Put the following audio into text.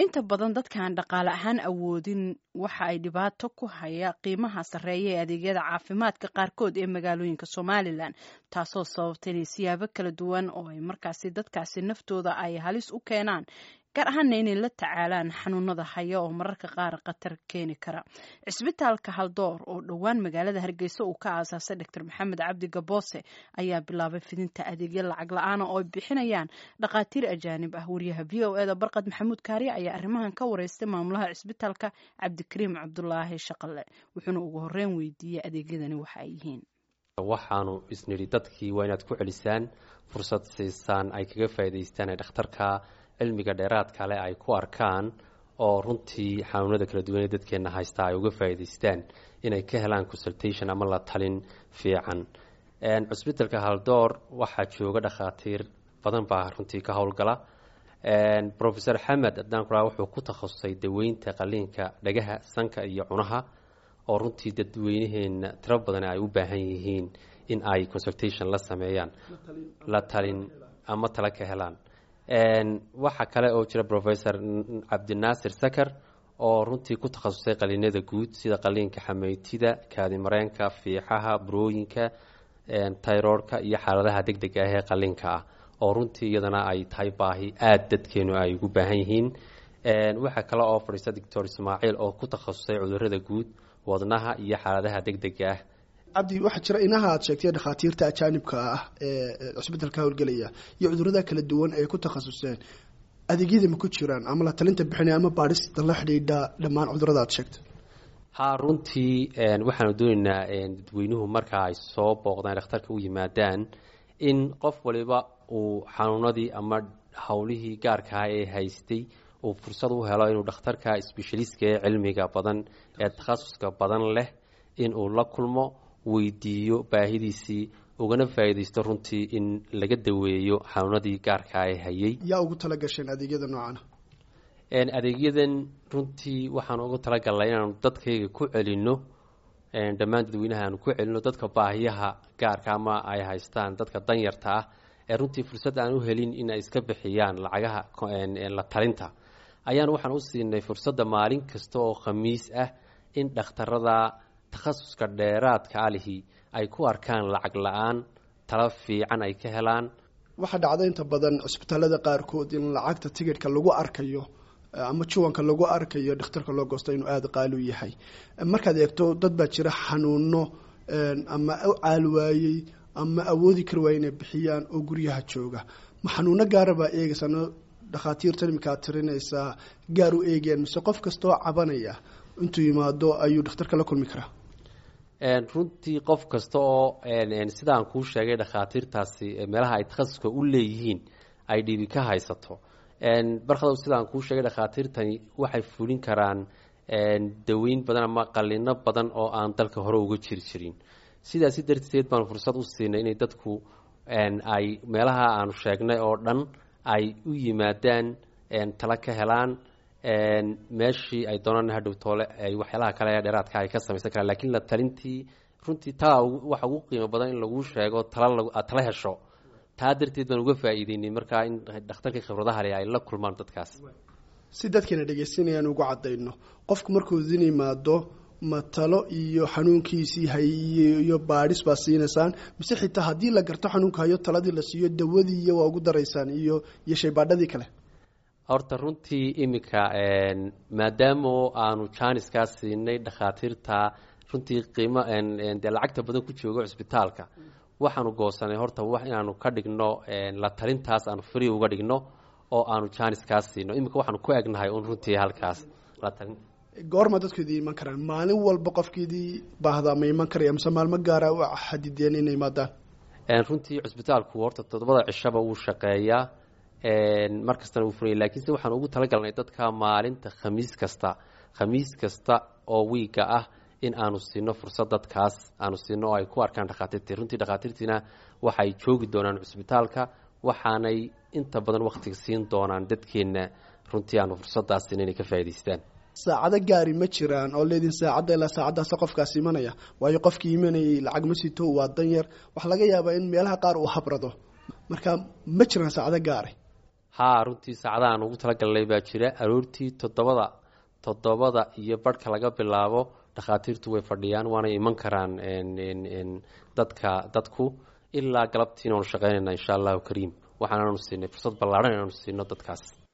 Inta badan dadkaan dhaqaale ahaan awoodin waxa ay dhibaato ku haya qiimaha sarreeya ee adeegyada caafimaadka qaarkood ee magaalooyinka Somalilan, taasoo sababta inay siyaabo kala duwan oo ay markaasi dadkaasi naftooda ay halis u keenaan, gaar ahaana inay la tacaalaan xanuunada haya oo mararka qaar khatar keeni kara. Cisbitaalka Haldoor oo dhowaan magaalada Hargeysa uu ka aasaasay Dr Maxamed Cabdi Gaboose ayaa bilaabay fidinta adeegyo lacag la-aana oo ay bixinayaan dhakhaatiir ajaanib ah. Wariyaha VOA da Barqad Maxamuud Kaariye ayaa arrimahan ka wareystay maamulaha cisbitaalka, Cabdikariim Cabdulaahi Shaqale, wuxuuna ugu horeyn weydiiyey adeegyadani waxa ay yihiin. Waxaanu isnidhi dadkii waa inaad ku celisaan, fursad siisaan ay kaga faa'idaystaan, ee dhakhtarka cilmiga dheeraadka leh ay ku arkaan, oo runtii xanuunada kala duwan ee dadkeena haystaa ay uga faa'idaystaan, inay ka helaan consultation ama la talin fiican. Cusbitalka Haldoor waxaa jooga dhakhaatiir badan baa runtii ka howlgala. Professor Xamed haddaan kuraa, wuxuu ku takhasusay daweynta qaliinka dhagaha, sanka iyo cunaha, oo runtii dadweynaheena tiro badan ay u baahan yihiin in ay consultation la sameeyaan, la talin ama tala ka helaan. Waxaa kale oo jira Professor Cabdinaasir Sakar, oo runtii ku takhasusay qaliinada guud, sida qaliinka xameytida, kaadimareenka, fiixaha, burooyinka, thyroidka iyo xaaladaha deg dega ah ee qaliinka ah, oo runtii iyadana ay tahay baahi aada dadkeenu ay ugu baahan yihiin. Waxaa kale oo fadhiista Doctor Ismaaciil, oo ku takhasusay cudurada guud, wadnaha iyo xaaladaha deg dega ah. Cabdi, waxaa jira inaha aad sheegtay dhakhaatiirta ajaanibka ah ee cusbitalka howlgelaya iyo cudurada kala duwan ay ku takhasuseen, adeegyada ma ku jiraan ama la talinta bixinaya ama baadhista la xidhiidha dhammaan cudurada aad sheegtay? Ha, runtii waxaanu doonaynaa dadweynuhu marka ay soo booqdaan, dhakhtarka u yimaadaan, in qof waliba uu xanuunadii ama howlihii gaarkaha ee haystay uu fursad u helo inuu dhakhtarka specialistka ee cilmiga badan ee takhasuska badan leh in uu la kulmo, weydiiyo baahidiisii, ugana faa'iidaysto runtii in laga daweeyo xanuunadii gaarkaa ee hayay. Yaa ugu tala gasheen adeegyada noocana? Adeegyadan runtii waxaan ugu talagalnay inaanu dadkayga ku celinno, dhammaan dadweynaha aanu ku celinno, dadka baahiyaha gaarka ama ay haystaan, dadka danyarta ah ee runtii fursad aan u helin in ay iska bixiyaan lacagaha la talinta, ayaan waxaan u siinay fursadda maalin kasta oo Khamiis ah in dhakhtarada takhasuska dheeraadka alihi ay ku arkaan lacag la-aan, talo fiican ay ka helaan. Waxaa dhacda inta badan cusbitaalada qaarkood in lacagta tigidhka lagu arkayo ama juwanka lagu arkayo dhakhtarka loo goosto inuu aada qaali u yahay. Markaad eegto, dad baa jira xanuuno ama u caal waayey ama awoodi kari waayey inay bixiyaan oo guryaha jooga. Ma xanuuno gaara baa eegaysaa dhakhaatiirtan iminka aad tirinaysaa, gaar u eegayaan, mise qof kastoo cabanaya intuu yimaado ayuu dhakhtarka la kulmi karaa? Runtii qof kasta oo, sidaan kuu sheegay, dhakhaatiirtaasi meelaha ay takhasuska u leeyihiin ay dhibi ka haysato. Barkadow, sidaan kuu sheegay, dhakhaatiirtani waxay fulin karaan daweyn badan ama qalino badan oo aan dalka hore uga jiri jirin. Sidaasi darteed baan fursad u siinay inay dadku ay meelaha aanu sheegnay oo dhan ay u yimaadaan, tala ka helaan, meeshii ay doonaan hadhow toole ay waxyaalaha kale ee dheeraadka ay ka samaysan karaan. Lakiin la talintii runtii taa waxa ugu qiimo badan in laguu sheego, tala aad tala hesho. Taa darteed baan uga faa'iideynay markaa in dhakhtarkii khibradaha leh ay la kulmaan dadkaas. Si dadkana dhegeysanayaan ugu cadayno, qofku markuu idin yimaado, ma talo iyo xanuunkiisii hay iyo baadhis baa siinaysaan, mise xitaa haddii la garto xanuunka hayo, taladii la siiyo, dawadii iyo waa ugu daraysaan iyo shaybaadhadii kale? Horta runtii iminka maadaama aanu jaaniskaa siinay dhakhaatiirta runtii qiimo dee lacagta badan ku jooga cusbitaalka, waxaanu goosanay horta wax inaanu ka dhigno la talintaas aanu free uga dhigno oo aanu jaaniskaa siino. Iminka waxaanu ku egnahay un runtii halkaas la talin. Goorma dadku idin iman karaan? Maalin walba qofkiidii baahdaa ma iman karaya, mise maalmo gaara u xadideen inay imaadaan? Runtii cusbitaalku horta 7da cishaba wuu shaqeeyaa, mar kastana wuu furaya, lakiinse waxaan ugu talagalnay dadka maalinta Khamiis kasta, Khamiis kasta oo wiiga ah, in aanu siino fursad dadkaas aanu siino oo ay ku arkaan dhakhaatiirtii. Runtii dhakhaatiirtiina waxay joogi doonaan cusbitaalka, waxaanay inta badan waktiga siin doonaan dadkeenna runtii aanu fursadaas siino inay ka faa'idaystaan. Saacado gaari ma jiraan oo leedin saacadda ilaa saacaddaasa qofkaas imanaya? Waayo qofkii imanayay lacag ma sito, waa danyar, waxaa laga yaabaa in meelaha qaar uu habrado. Marka ma jiraan saacado gaari? Haa, runtii saacadahaan ugu talagalnay baa jira. Aroortii 7:30 iyo barhka laga bilaabo dhakhaatiirtu way fadhiyaan, waanay iman karaan dadka dadku ilaa galabtiina waanu shaqeynayna insha Allahu kariim. Waxaanaanu siinay fursad ballaadhan inaanu siino dadkaas.